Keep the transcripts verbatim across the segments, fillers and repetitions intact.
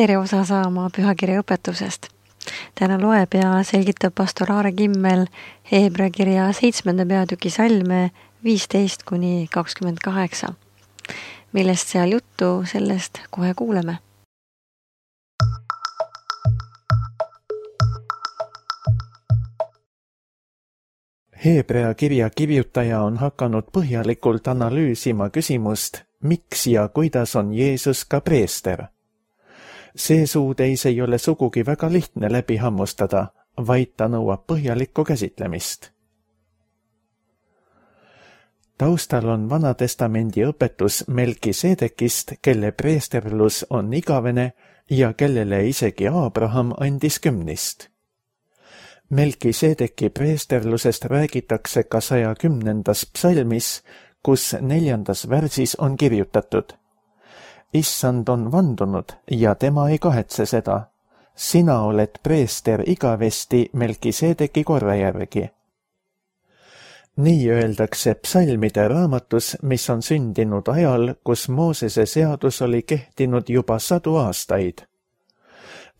tere osa saama pühakirja õpetusest. Täna loeb ja selgitab pastor Aare Kimmel Heebrea kirja seitsmenda peatüki salme viisteist kuni kakskümmend kaheksa. Millest seal juttu, sellest kohe kuuleme. Heebrea kirja kirjutaja on hakanud põhjalikult analüüsima küsimust, miks ja kuidas on Jeesus ka preester. See suudeis ei ole sugugi väga lihtne läbi hammustada, vaid ta nõuab põhjalikku käsitlemist. Taustal on Vanatestamendi õpetus Melkisedekist, kelle preesterlus on igavene ja kellele isegi Abraham andis kümnist. Melkisedeki preesterlusest räägitakse ka saja kümnendas psalmis, kus neljandas värsis on kirjutatud: Issand on vandunud ja tema ei kahetse seda. Sina oled preester igavesti Melkisedeki korra järgi. Nii öeldakse psalmide raamatus, mis on sündinud ajal, kus Moosese seadus oli kehtinud juba sadu aastaid.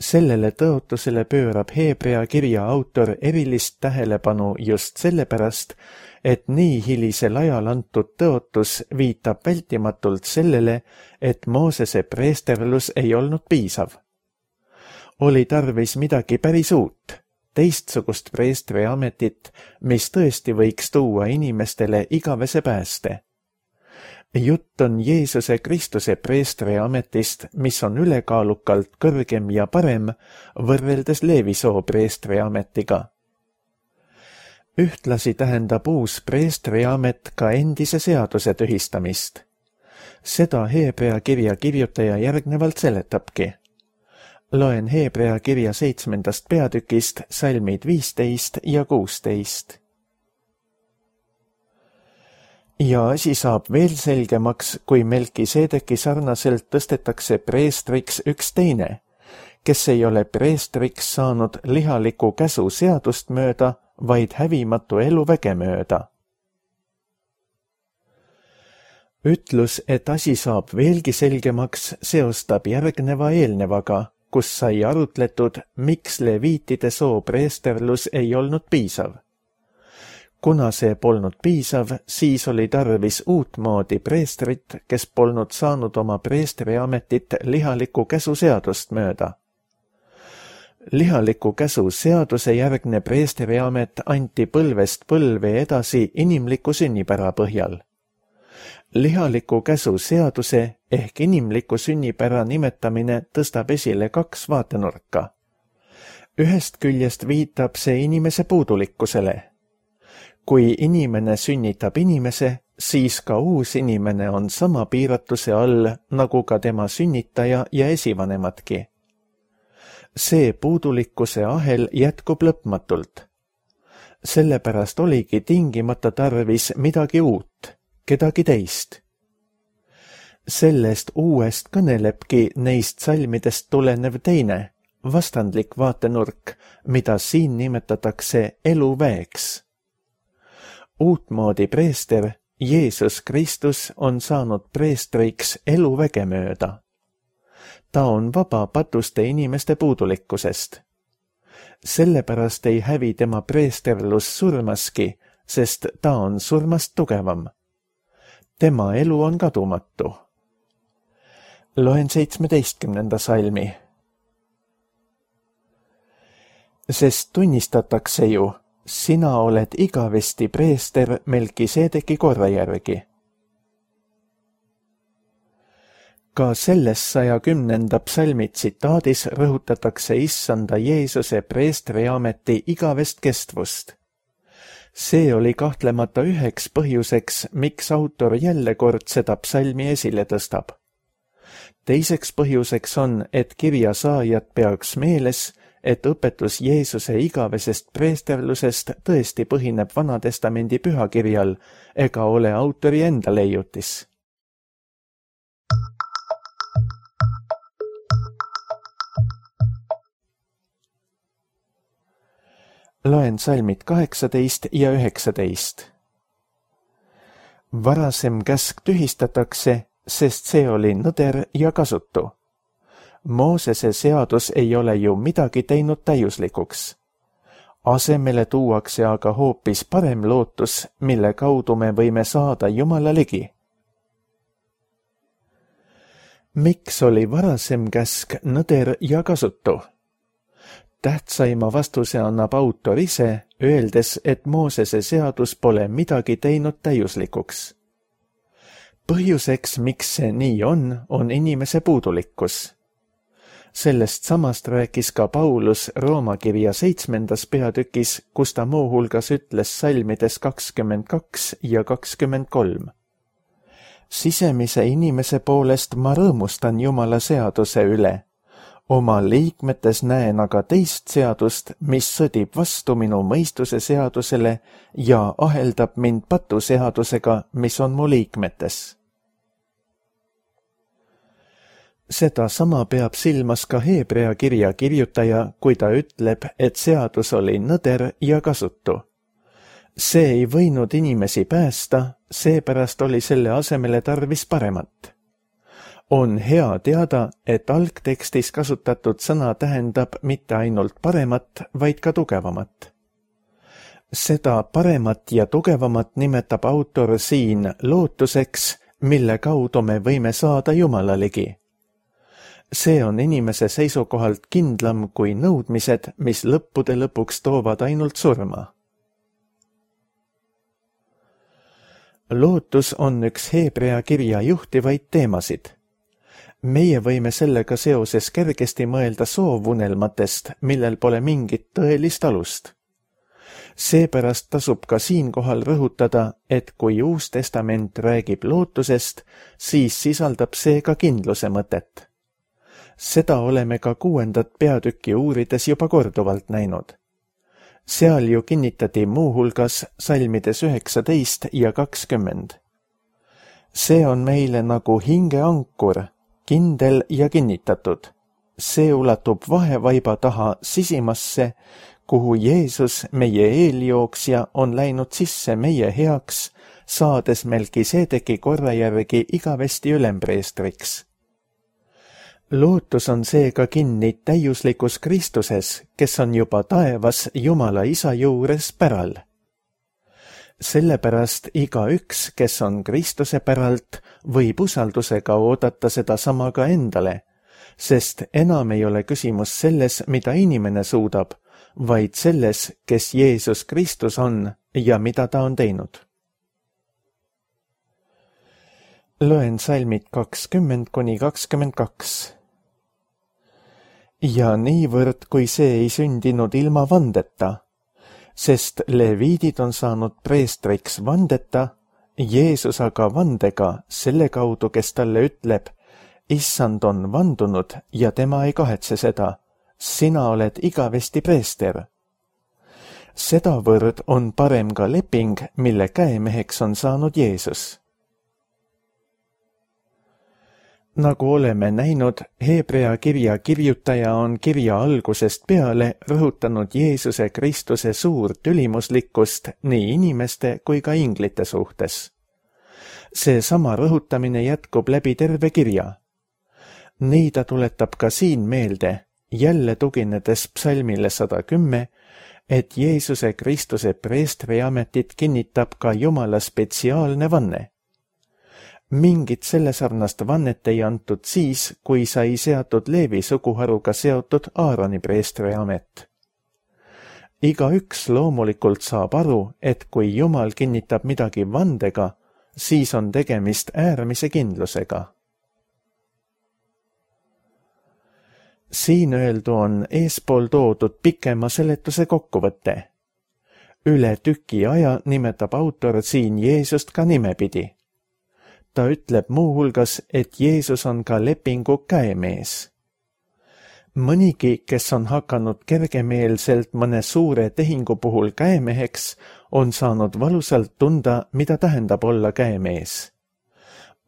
Sellele tõotusele pöörab Heebrea kirja autor erilist tähelepanu just sellepärast, et nii hilisel ajal antud tõotus viitab vältimatult sellele, et Moosese preesterlus ei olnud piisav. Oli tarvis midagi päris uut, teistsugust preestri ametit, mis tõesti võiks tuua inimestele igavese pääste. Jutt on Jeesuse Kristuse preestri ametist, mis on ülekaalukalt kõrgem ja parem võrreldes Leevisoo preestri ametiga. Ühtlasi tähendab uus preestri amet ka endise seaduse tühistamist. Seda Heebrea kirja kirjutaja järgnevalt seletabki. Loen Heebrea kirja seitsmendast peatükist salmid viisteist ja kuusteist. Ja asi saab veel selgemaks, kui Melkisedeki sarnaselt tõstetakse preestriks üks teine, kes ei ole preestriks saanud lihaliku käsu seadust mööda, vaid hävimatu eluväge mööda. Ütlus, et asi saab veelgi selgemaks, seostab järgneva eelnevaga, kus sai arutletud, miks leviitide soo preesterlus ei olnud piisav. Kuna see polnud piisav, siis oli tarvis uutmoodi preestrit, kes polnud saanud oma preestri ametit lihaliku käsu seadust mööda. Lihaliku käsu seaduse järgne preestri amet anti põlvest põlve edasi inimliku sünnipära põhjal. Lihaliku käsu seaduse ehk inimliku sünnipära nimetamine tõstab esile kaks vaatenurka. Ühest küljest viitab see inimese puudulikkusele. Kui inimene sünnitab inimese, siis ka uus inimene on sama piiratuse all, nagu ka tema sünnitaja ja esivanemadki. See puudulikkuse ahel jätkub lõpmatult. Sellepärast oligi tingimata tarvis midagi uut, kedagi teist. Sellest uuest kõnelebki neist salmidest tulenev teine, vastandlik vaatenurk, mida siin nimetatakse eluväeks. Uutmoodi preester, Jeesus Kristus, on saanud preestriks eluväge mööda. Ta on vaba patuste inimeste puudulikkusest. Sellepärast ei hävi tema preesterlus surmaski, sest ta on surmast tugevam. Tema elu on kadumatu. Loen seitsmeteistkümnenda salmi. Sest tunnistatakse ju, sina oled igavesti preester Melkisedeki korra järgi. Ka selles saja kümnenda psalmi tsitaadis rõhutatakse issanda Jeesuse preestri ameti igavest kestvust. See oli kahtlemata üheks põhjuseks, miks autor jälle kord seda psalmi esile tõstab. Teiseks põhjuseks on, et kirja saajad peaks meeles, et õpetus Jeesuse igavesest preesterlusest tõesti põhineb Vanatestamendi pühakirjal ega ole autori enda leiutis. Loen salmid kaheksateist ja üheksateist. Varasem käsk tühistatakse, sest see oli nõder ja kasutu. Moosese seadus ei ole ju midagi teinud täiuslikuks. Asemele tuuakse aga hoopis parem lootus, mille kaudu me võime saada Jumala ligi. Miks oli varasem käsk nõder ja kasutu? Tähtsaima vastuse annab autor ise, öeldes, et Moosese seadus pole midagi teinud täiuslikuks. Põhjuseks, miks see nii on, on inimese puudulikkus. Sellest samast rääkis ka Paulus Rooma kirja seitsmendas peatükis, kus ta muuhulgas ütles salmides kakskümmend kaks ja kakskümmend kolm. Sisemise inimese poolest ma rõõmustan Jumala seaduse üle. Oma liikmetes näen aga teist seadust, mis sõdib vastu minu mõistuse seadusele ja aheldab mind patuseadusega, mis on mu liikmetes. Seda sama peab silmas ka Heebrea kirja kirjutaja, kui ta ütleb, et seadus oli nõder ja kasutu. See ei võinud inimesi päästa, seepärast oli selle asemele tarvis paremat. On hea teada, et algtekstis kasutatud sõna tähendab mitte ainult paremat, vaid ka tugevamat. Seda paremat ja tugevamat nimetab autor siin lootuseks, mille kaudu me võime saada Jumala ligi. See on inimese seisukohalt kindlam kui nõudmised, mis lõppude lõpuks toovad ainult surma. Lootus on üks Heebrea kirja juhtivaid teemasid. Meie võime sellega seoses kergesti mõelda soovunelmatest, millel pole mingit tõelist alust. Seepärast tasub ka siinkohal rõhutada, et kui Uus Testament räägib lootusest, siis sisaldab see ka kindluse mõtet. Seda oleme ka kuuendat peatükki uurides juba korduvalt näinud. Seal ju kinnitati muuhulgas salmides üheksateist ja kakskümmend. See on meile nagu hingeankur, kindel ja kinnitatud. See ulatub vahevaiba taha sisimasse, kuhu Jeesus, meie eeljooksja, on läinud sisse meie heaks, saades Melkiseedeki korra järgi igavesti ülempreestriks. Lootus on seega kinni täiuslikus Kristuses, kes on juba taevas Jumala Isa juures päral. Sellepärast igaüks, kes on Kristuse päralt, võib usaldusega oodata seda sama ka endale, sest enam ei ole küsimus selles, mida inimene suudab, vaid selles, kes Jeesus Kristus on ja mida ta on teinud. Loen salmid kakskümmend kuni kakskümmend kaks. Ja niivõrd, kui see ei sündinud ilma vandeta, sest leviidid on saanud preestriks vandeta, Jeesus aga vandega selle kaudu, kes talle ütleb, Issand on vandunud ja tema ei kahetse seda, sina oled igavesti preester. Sedavõrd on parem ka leping, mille käemeheks on saanud Jeesus. Nagu oleme näinud, Heebrea kirja kirjutaja on kirja algusest peale rõhutanud Jeesuse Kristuse suurt ülimuslikkust nii inimeste kui ka inglite suhtes. See sama rõhutamine jätkub läbi terve kirja. Nii ta tuletab ka siin meelde, jälle tuginedes psalmile sada kümme, et Jeesuse Kristuse preestriametit kinnitab ka Jumala spetsiaalne vanne. Mingit sellesarnast vannet ei antud siis, kui sai seatud Leevi suguharuga seotud Aaroni preestriamet. Igaüks loomulikult saab aru, et kui Jumal kinnitab midagi vandega, siis on tegemist äärmise kindlusega. Siin öeldu on eespool toodud pikema seletuse kokkuvõte. Üle tüki aja nimetab autor siin Jeesust ka nimepidi. Ta ütleb muuhulgas, et Jeesus on ka lepingu käemees. Mõnigi, kes on hakanud kergemeelselt mõne suure tehingu puhul käemeheks, on saanud valusalt tunda, mida tähendab olla käemees.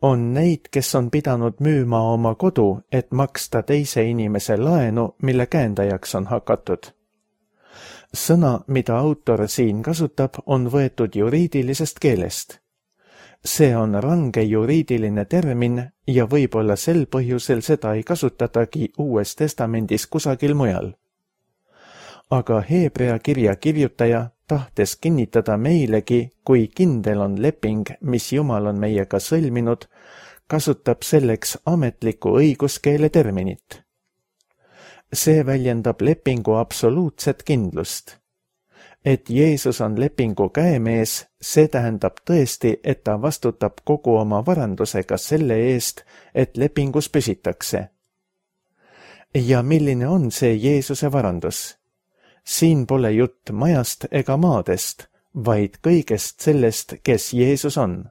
On neid, kes on pidanud müüma oma kodu, et maksta teise inimese laenu, mille käendajaks on hakatud. Sõna, mida autor siin kasutab, on võetud juriidilisest keelest. see on range juriidiline termin ja võib-olla sel põhjusel seda ei kasutatagi Uues Testamendis kusagil mujal. Aga Hebrea kirja kirjutaja tahtes kinnitada meilegi, kui kindel on leping, mis Jumal on meiega sõlminud, kasutab selleks ametlikku õiguskeele terminit. See väljendab lepingu absoluutset kindlust. Et Jeesus on lepingu käemees, see tähendab tõesti, et ta vastutab kogu oma varandusega selle eest, et lepingus püsitakse. Ja milline on see Jeesuse varandus? Siin pole jutt majast ega maadest, vaid kõigest sellest, kes Jeesus on.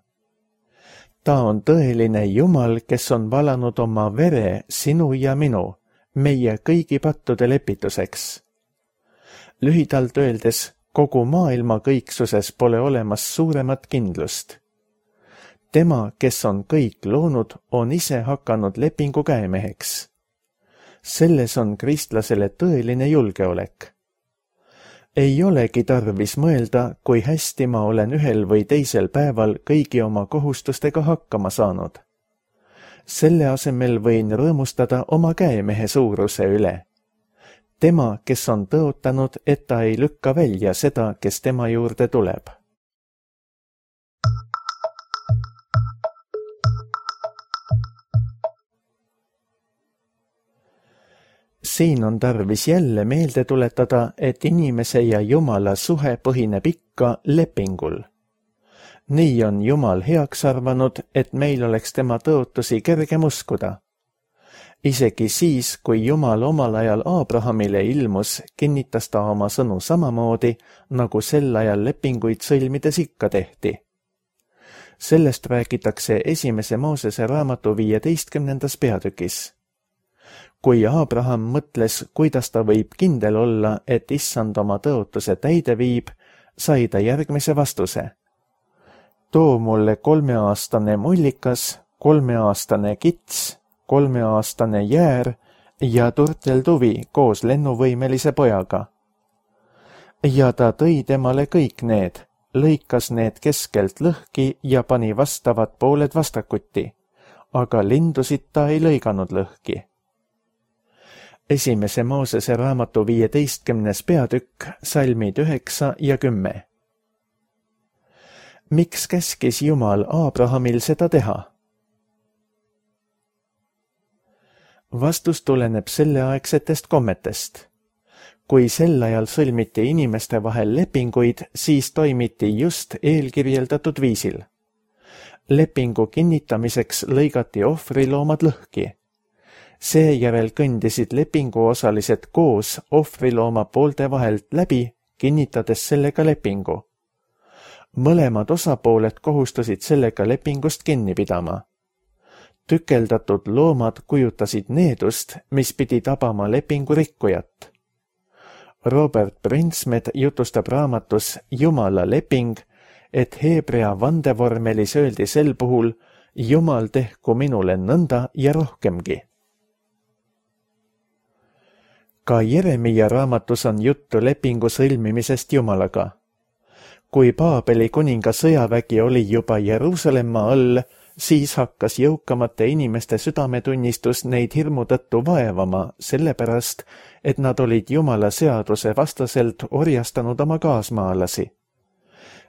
Ta on tõeline Jumal, kes on valanud oma vere sinu ja minu, meie kõigi pattude lepituseks. Lühidalt öeldes, kogu maailma kõiksuses pole olemas suuremat kindlust. Tema, kes on kõik loonud, on ise hakanud lepingu käemeheks. Selles on kristlasele tõeline julgeolek. Ei olegi tarvis mõelda, kui hästi ma olen ühel või teisel päeval kõigi oma kohustustega hakkama saanud. Selle asemel võin rõõmustada oma käemehe suuruse üle. Tema, kes on tõotanud, et ta ei lükka välja seda, kes tema juurde tuleb. Siin on tarvis jälle meelde tuletada, et inimese ja Jumala suhe põhineb ikka lepingul. Nii on Jumal heaks arvanud, et meil oleks tema tõotusi kergem uskuda. Isegi siis, kui Jumal omal ajal Abrahamile ilmus, kinnitas ta oma sõnu samamoodi, nagu sel ajal lepinguid sõlmides ikka tehti. Sellest räägitakse esimese Moosese raamatu viieteistkümnendas peatükis. Kui Abraham mõtles, kuidas ta võib kindel olla, et issand oma tõotuse täide viib, sai ta järgmise vastuse. Too mulle kolmeaastane mullikas, kolmeaastane kits, kolmeaastane jäär ja turtelduvi koos lennuvõimelise pojaga. Ja ta tõi temale kõik need, lõikas need keskelt lõhki ja pani vastavad pooled vastakuti, aga lindusid ta ei lõiganud lõhki. Esimese Moosese raamatu viieteistkümnes peatükk, salmid üheksa ja kümme. Miks käskis Jumal Abrahamil seda teha? Vastus tuleneb selleaegsetest kommetest. Kui sel ajal sõlmiti inimeste vahel lepinguid, siis toimiti just eelkirjeldatud viisil. Lepingu kinnitamiseks lõigati ohvriloomad lõhki. Seejärel kõndisid lepinguosalised koos ohvrilooma poolte vahelt läbi, kinnitades sellega lepingu. Mõlemad osapooled kohustusid sellega lepingust kinni pidama. Tükeldatud loomad kujutasid needust, mis pidi tabama lepingu rikkujat. Robert Brinsmed jutustab raamatus Jumala leping, et heebrea vandevormelis öeldi sel puhul Jumal tehku minule nõnda ja rohkemgi. Ka Jeremia raamatus on juttu lepingu sõlmimisest Jumalaga. Kui Paabeli kuninga sõjavägi oli juba Jeruusalemma all, siis hakkas jõukamate inimeste südametunnistus neid hirmu tõttu vaevama, sellepärast, et nad olid Jumala seaduse vastaselt orjastanud oma kaasmaalasi.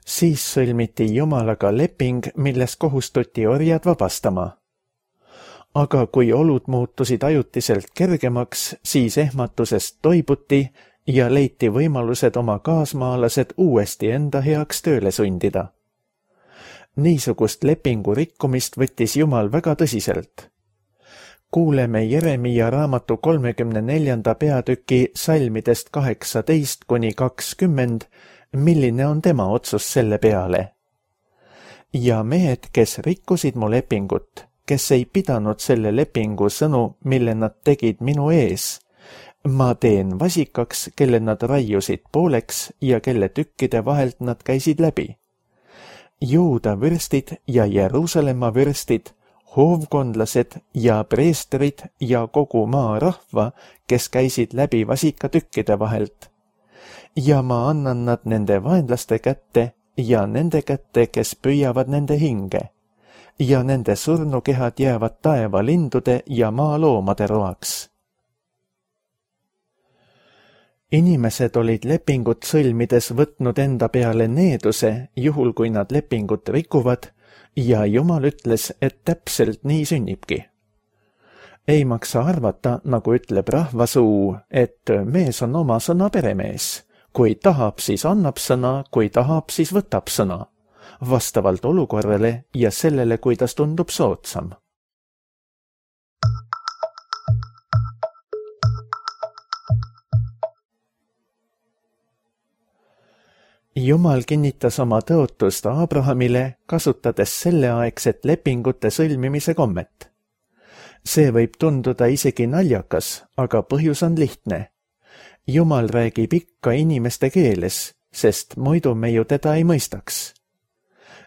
Siis sõlmiti Jumalaga leping, milles kohustuti orjad vabastama. Aga kui olud muutusid ajutiselt kergemaks, siis ehmatusest toibuti ja leiti võimalused oma kaasmaalased uuesti enda heaks tööle sundida. Niisugust lepingu rikkumist võttis Jumal väga tõsiselt. Kuuleme Jeremia raamatu kolmekümne neljanda peatüki salmidest kaheksateist kuni kakskümmend, milline on tema otsus selle peale. Ja mehed, kes rikkusid mu lepingut, kes ei pidanud selle lepingu sõnu, mille nad tegid minu ees, ma teen vasikaks, kelle nad raiusid pooleks ja kelle tükkide vahelt nad käisid läbi. Juuda vürstid ja Jeruusalemma vürstid, hoovkondlased ja preestrid ja kogu maa rahva, kes käisid läbi vasikatükkide vahelt. Ja ma annan nad nende vaenlaste kätte ja nende kätte, kes püüavad nende hinge. ja nende surnukehad jäävad taevalindude ja maaloomade roaks. Inimesed olid lepingut sõlmides võtnud enda peale needuse, juhul kui nad lepingut rikuvad, ja Jumal ütles, et täpselt nii sünnibki. Ei maksa arvata, nagu ütleb rahvasuu, et mees on oma sõna peremees. Kui tahab, siis annab sõna, kui tahab, siis võtab sõna. Vastavalt olukorrale ja sellele, kuidas tundub soodsam. Jumal kinnitas oma tõotust Abrahamile, kasutades selleaegset lepingute sõlmimise kommet. See võib tunduda isegi naljakas, aga põhjus on lihtne. Jumal räägib ikka inimeste keeles, sest muidu me ju teda ei mõistaks.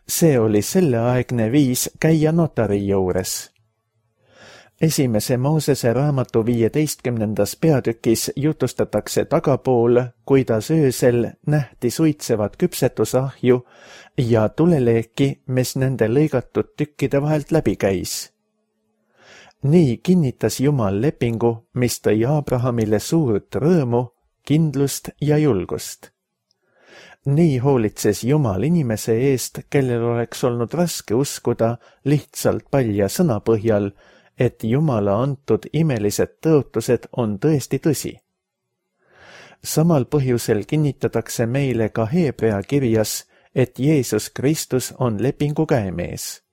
See oli selleaegne viis käia notari juures. Esimese Moosese raamatu viieteistkümnendas peatükis jutustatakse tagapool, kuidas öösel nähti suitsevat küpsetusahju ja tuleleeki, mis nende lõigatud tükkide vahelt läbi käis. Nii kinnitas Jumal lepingu, mis tõi Abrahamile suurt rõõmu, kindlust ja julgust. Nii hoolitses Jumal inimese eest, kellel oleks olnud raske uskuda lihtsalt palja sõna põhjal, et Jumala antud imelised tõotused on tõesti tõsi. Samal põhjusel kinnitatakse meile ka Heebrea kirjas, et Jeesus Kristus on lepingu käemees.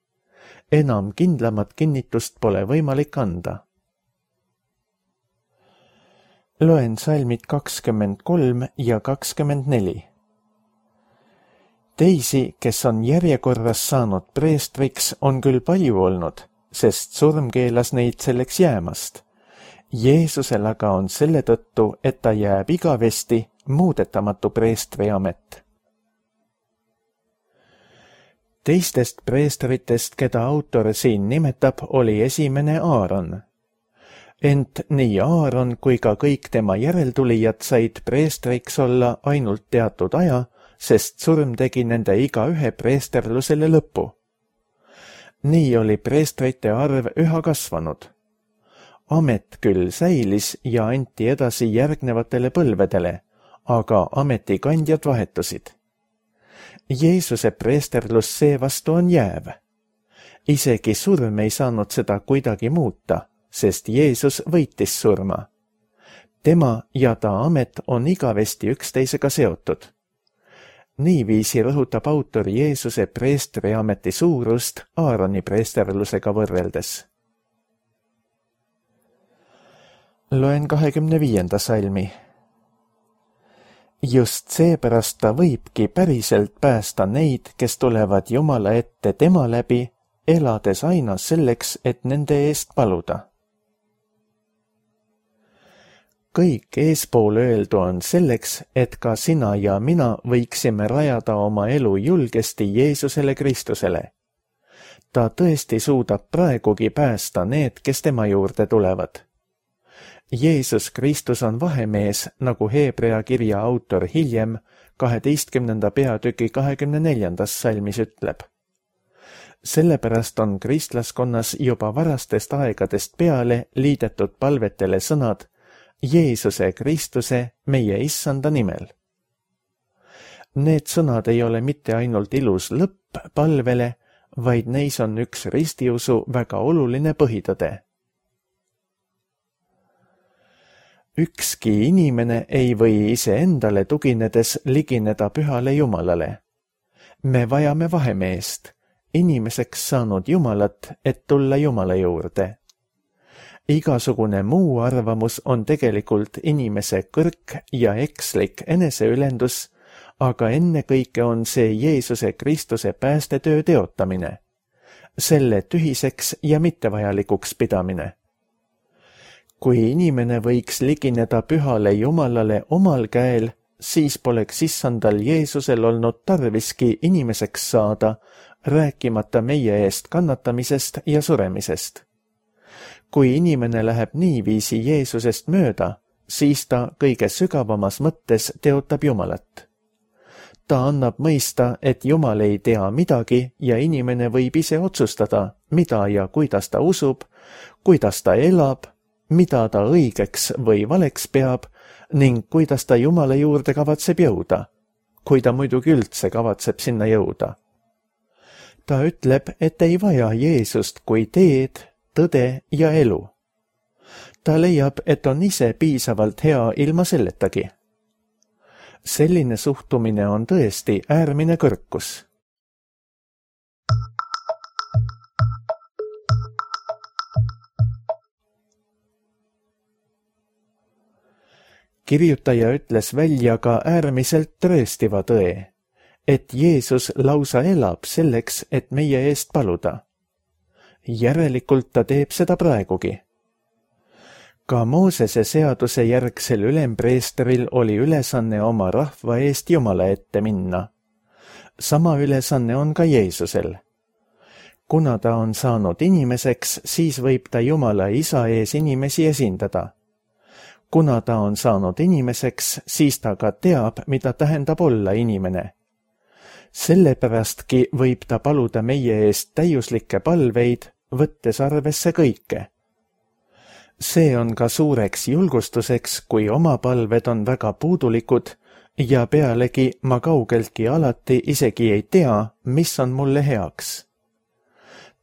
Enam kindlamat kinnitust pole võimalik anda. Loen salmid kakskümmend kolm ja kakskümmend neli. Teisi, kes on järjekorras saanud preestriks, on küll palju olnud, sest surm keelas neid selleks jäämast. Jeesusel aga on selle tõttu, et ta jääb igavesti muudetamatu preestri amet. Teistest preestritest, keda autor siin nimetab, oli esimene Aaron. Ent nii Aaron kui ka kõik tema järeltulijad said preestriks olla ainult teatud aja, sest surm tegi nende igaühe preesterlusele lõpu. Nii oli preestrite arv üha kasvanud. Amet küll säilis ja anti edasi järgnevatele põlvedele, aga ametikandjad vahetusid. Jeesuse preesterlus seevastu on jääv. Isegi surm ei saanud seda kuidagi muuta, sest Jeesus võitis surma. Tema ja ta amet on igavesti üksteisega seotud. Niiviisi rõhutab autor Jeesuse preestri ameti suurust Aaroni preesterlusega võrreldes. Loen kahekümne viienda salmi. Just seepärast ta võibki päriselt päästa neid, kes tulevad Jumala ette tema läbi, elades aina selleks, et nende eest paluda. Kõik eespool öeldu on selleks, et ka sina ja mina võiksime rajada oma elu julgesti Jeesusele Kristusele. Ta tõesti suudab praegugi päästa need, kes tema juurde tulevad. Jeesus Kristus on vahemees, nagu Heebrea kirja autor hiljem kaheteistkümnenda peatüki kahekümne neljandas salmis ütleb. Sellepärast on kristlaskonnas juba varastest aegadest peale liidetud palvetele sõnad Jeesuse Kristuse, meie issanda nimel. Need sõnad ei ole mitte ainult ilus lõpp palvele, vaid neis on üks ristiusu väga oluline põhitõde. Ükski inimene ei või iseendale tuginedes ligineda pühale Jumalale. Me vajame vahemeest, inimeseks saanud Jumalat, et tulla Jumala juurde. Igasugune muu arvamus on tegelikult inimese kõrk ja ekslik eneseülendus, aga ennekõike on see Jeesuse Kristuse päästetöö teotamine, selle tühiseks ja mittevajalikuks pidamine. Kui inimene võiks ligineda pühale Jumalale omal käel, siis poleks issandal Jeesusel olnud tarviski inimeseks saada, rääkimata meie eest kannatamisest ja suremisest. Kui inimene läheb niiviisi Jeesusest mööda, siis ta kõige sügavamas mõttes teotab Jumalat. ta annab mõista, et Jumal ei tea midagi ja inimene võib ise otsustada, mida ja kuidas ta usub, kuidas ta elab, mida ta õigeks või valeks peab ning kuidas ta Jumala juurde kavatseb jõuda, kui ta muidugi üldse kavatseb sinna jõuda. Ta ütleb, et ei vaja Jeesust kui teed, tõde ja elu. Ta leiab, et on ise piisavalt hea ilma selletagi. Selline suhtumine on tõesti äärmine kõrkus. Kirjutaja ütles välja ka äärmiselt tõestiva tõe, et Jeesus lausa elab selleks, et meie eest paluda. Järelikult ta teeb seda praegugi. Ka Moosese seaduse järgsel ülempreesteril oli ülesanne oma rahva eest Jumala ette minna. Sama ülesanne on ka Jeesusel. Kuna ta on saanud inimeseks, siis võib ta Jumala isa ees inimesi esindada. Kuna ta on saanud inimeseks, siis ta ka teab, mida tähendab olla inimene. Sellepärastki võib ta paluda meie eest täiuslikke palveid, võttes arvesse kõike. See on ka suureks julgustuseks, kui oma palved on väga puudulikud ja pealegi ma kaugeltki alati isegi ei tea, mis on mulle heaks.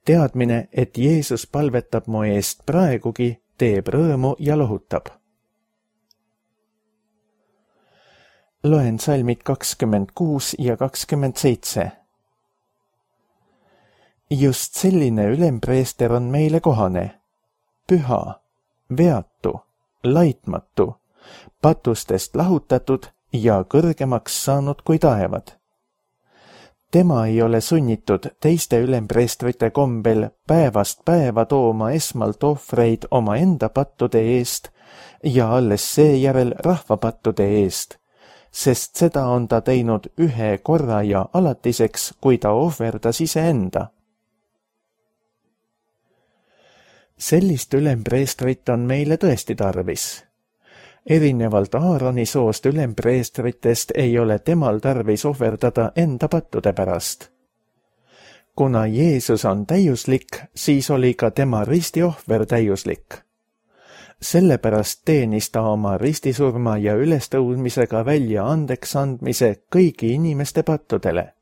Teadmine, et Jeesus palvetab mu eest praegugi, teeb rõõmu ja lohutab. Loen salmid kakskümmend kuus ja kakskümmend seitse. Just selline ülempreester on meile kohane, püha, veatu, laitmatu, patustest lahutatud ja kõrgemaks saanud kui taevad. Tema ei ole sunnitud teiste ülempreestrite kombel päevast päeva tooma esmalt ohvreid oma enda pattude eest ja alles seejärel rahvapattude eest, sest seda on ta teinud ühe korra ja alatiseks, kui ta ohverdas iseenda. Sellist ülempreestrit on meile tõesti tarvis. Erinevalt Aaroni soost ülempreestritest ei ole temal tarvis ohverdada enda pattude pärast. Kuna Jeesus on täiuslik, siis oli ka tema ristiohver täiuslik. Sellepärast teenis ta oma ristisurma ja ülestõudmisega välja andeks andmise kõigi inimeste pattudele.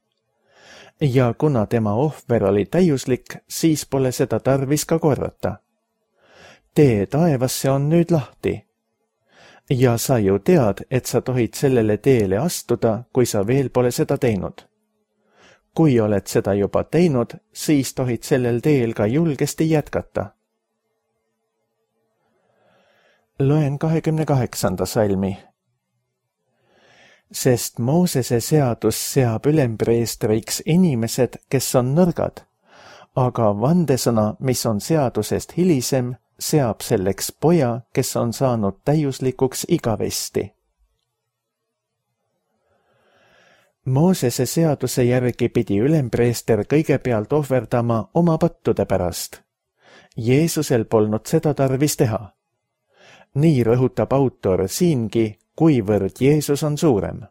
Ja kuna tema ohver oli täiuslik, siis pole seda tarvis ka korrata. Tee taevasse on nüüd lahti. Ja sa ju tead, et sa tohid sellele teele astuda, kui sa veel pole seda teinud. Kui oled seda juba teinud, siis tohid sellel teel ka julgesti jätkata. Loen kahekümne kaheksanda salmi. Sest Moosese seadus seab ülempreestriks inimesed, kes on nõrgad, aga vandesõna, mis on seadusest hilisem, seab selleks poja, kes on saanud täiuslikuks igavesti. Moosese seaduse järgi pidi ülempreester kõigepealt ohverdama oma pattude pärast. Jeesusel polnud seda tarvis teha. Nii rõhutab autor siingi, kuivõrd Jeesus on suurem.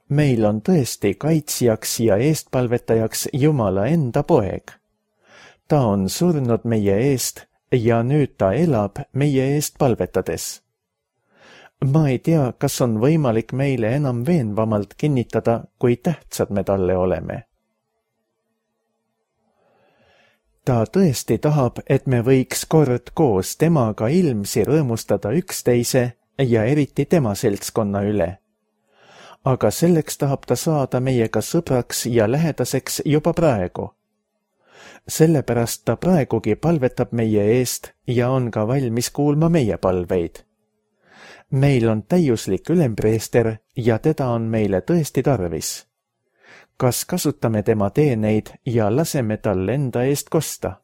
Meil on tõesti kaitsjaks ja eestpalvetajaks Jumala enda poeg. Ta on surnud meie eest ja nüüd ta elab meie eest palvetades. Ma ei tea, kas on võimalik meile enam veenvamalt kinnitada, kui tähtsad me talle oleme. Ta tõesti tahab, et me võiks kord koos temaga ilmsi rõõmustada üksteise ja eriti tema seltskonna üle. Aga selleks tahab ta saada meiega sõbraks ja lähedaseks juba praegu. Sellepärast ta praegugi palvetab meie eest ja on ka valmis kuulma meie palveid. Meil on täiuslik ülempreester ja teda on meile tõesti tarvis. Kas kasutame tema teeneid ja laseme tal enda eest kosta?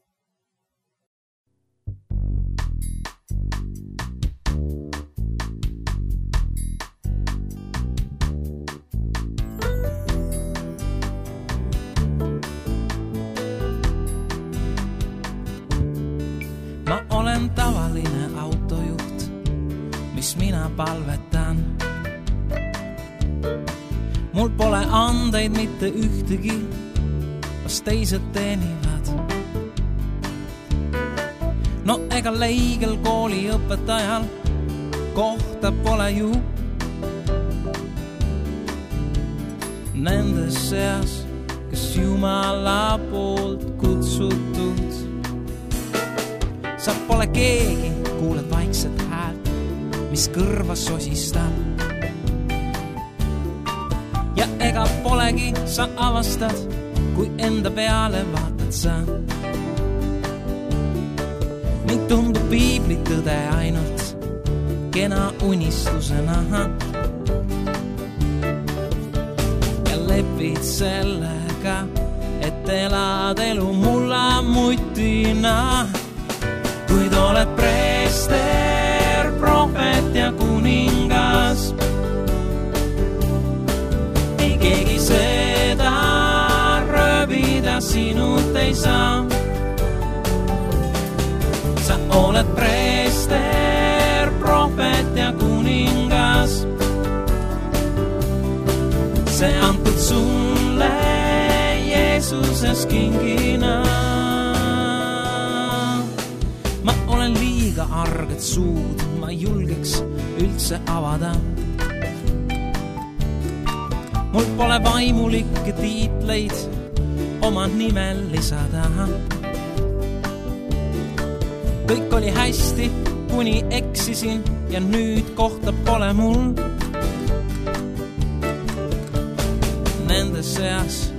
Ma olen tavaline autojuht, mis mina palvetan. Mul pole andeid mitte ühtegi, las teised teenivad. No ega leigel kooli õpetajal kohta pole ju. Nendes seas, kes Jumala poolt kutsutud. Sa pole keegi, kuuled vaikset häält, mis kõrva sosistab. Ja ega polegi, sa avastad, kui enda peale vaatad sa. Ning tundub piibli tõde ainult kena unistusena. Ja lepid sellega, et elad elu mulla mutina. Kuid oled preester, profeet ja kuningas. Ei keegi seda röövida sinut ei saa. Sa oled preester, profeet ja kuningas. See antud sulle Jeesuses kingina. Ma olen liiga arget suud, ma julgeks üldse avada. Mul pole vaimulikke tiitleid oma nimel lisada. Kõik oli hästi, kuni eksisin ja nüüd kohta pole mul. Nende seas,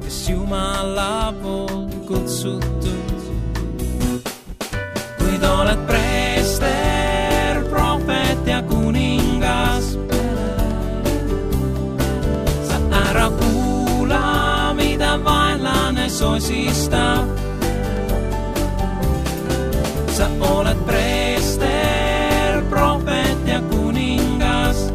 kes Jumala poolt kutsutud. Kuid oled preester, profeet ja kuningas. Sa ära kuula, mida vaenlane sosistab. Sa oled preester, profeet ja kuningas.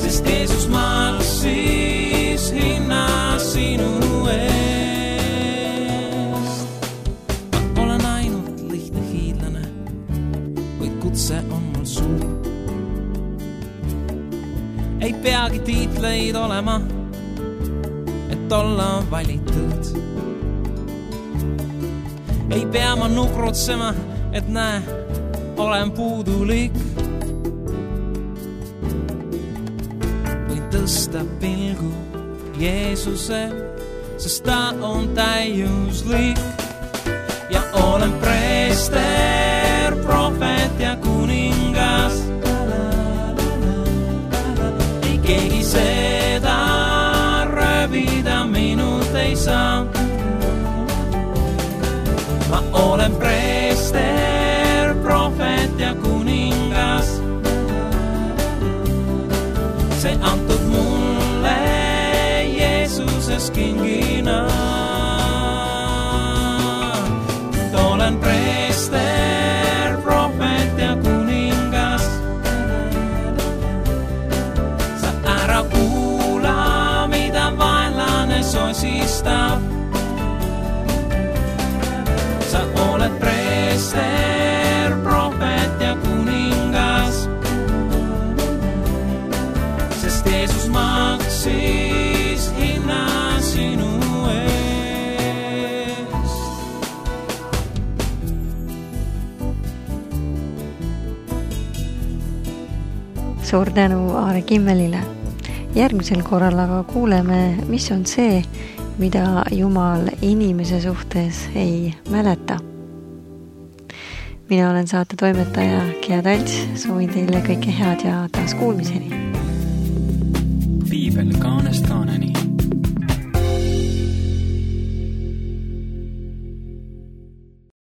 Sest Jeesus maksis hinna sinu eest. Ma olen ainult lihtne hiidlane, kuid kutse on mul suur. Ei peagi tiitleid olema, et olla valitud. Ei pea ma nukrutsema, et näe, olen puudulik. Või tõsta pilgu Jeesuse, sest ta on täiuslik. Ja olen preester, profeet ja kuningas. Ei keegi seda röövida minut ei saa. Ma olen preester, profeet ja kuningas. See antud mulle Jeesuses kingina. Olen preester, profeet ja kuningas. Sa ära kuula, mida vaenlane sosistab. Sa oled preester, profeet ja kuningas. Sest Jeesus maksis hinna sinu eest. Suur tänu Aare Kimmelile. Järgmisel korral aga kuuleme, mis on see, mida Jumal inimese suhtes ei mäleta. Mina olen saate toimetaja Gea Talts, soovin teile kõike head ja taas kuulmiseni. Piibel kaanest